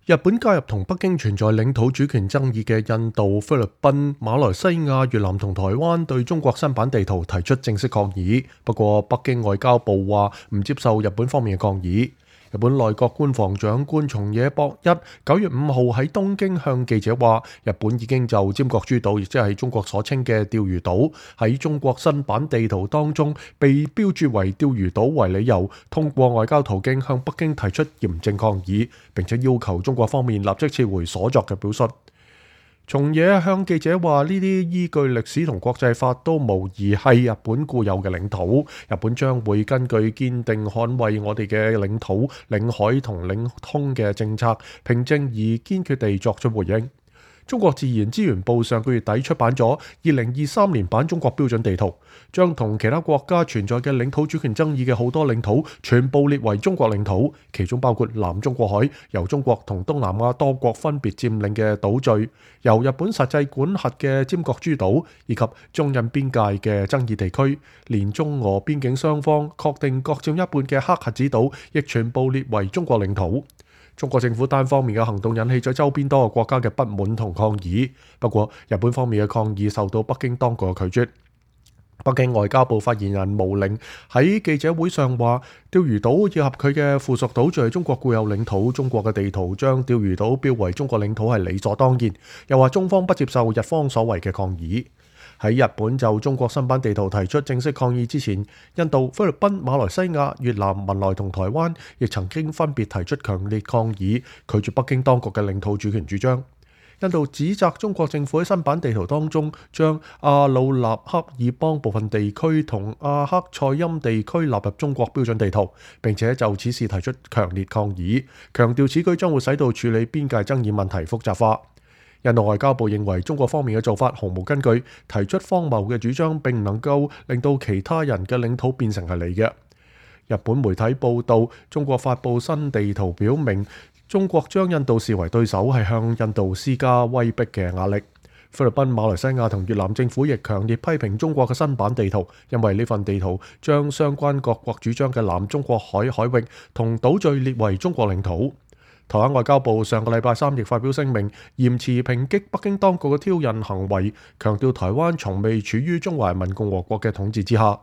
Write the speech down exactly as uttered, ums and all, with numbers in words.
日本介入同北京存在領土主權爭議嘅印度、菲律賓、馬來西亞、越南同台灣對中國新版地圖提出正式抗議，不過北京外交部話唔接受日本方面嘅抗議。日本內閣官房長官松野博一九月五號喺東京向記者話，日本已經就尖閣諸島，亦即係中國所稱嘅釣魚島，喺中國新版地圖當中被標註為釣魚島為理由，通過外交途徑向北京提出嚴正抗議，並且要求中國方面立即撤回所作嘅表述。松野向記者話：呢啲依據歷史同國際法都無疑係日本固有嘅領土，日本將會根據堅定捍衛我哋嘅領土、領海同領空嘅政策，平靜而堅決地作出回應。中國自然資源部上個月底出版咗二零二三年版中國標準地圖，將同其他國家存在嘅領土主權爭議嘅好多領土全部列為中國領土，其中包括南中國海，由中國同東南亞多國分別佔領嘅島嶼，由日本實際管轄嘅尖閣諸島，以及中印邊界嘅爭議地區，連中俄邊境雙方確定各佔一半嘅黑瞎子島，亦全部列為中國領土。中國政府單方面嘅行動引起咗周邊多個國家嘅不滿同抗議，不過日本方面嘅抗議受到北京當局嘅拒絕。北京外交部發言人毛寧喺記者會上話，釣魚島以及佢嘅附屬島嶼係中國固有領土，中國嘅地圖將釣魚島標為中國領土係理所當然，又話中方不接受日方所謂嘅抗議。喺日本就中國新版地圖提出正式抗議之前，印度、菲律賓、馬來西亞、越南、文萊同台灣亦曾經分別提出強烈抗議，拒絕北京當局嘅領土主權主張。印度指責中國政府喺新版地圖當中將阿魯納克爾邦部分地區同阿克塞欽地區納入中國標準地圖，並且就此事提出強烈抗議，強調此舉將會使到處理邊界爭議問題複雜化。印度外交部認為中國方面嘅做法毫無根據，提出荒謬嘅主張，並唔能夠令到其他人嘅領土變成係你嘅。日本媒體報道，中國發布新地圖表明，中國將印度視為對手，係向印度施加威逼嘅壓力。菲律賓、馬來西亞同越南政府亦強烈批評中國嘅新版地圖，因為呢份地圖將相關各國主張嘅南中國海海域同島嶼列為中國領土。台灣外交部上個禮拜三亦發表聲明，嚴詞抨擊北京當局嘅挑釁行為，強調台灣從未處於中華人民共和國嘅統治之下。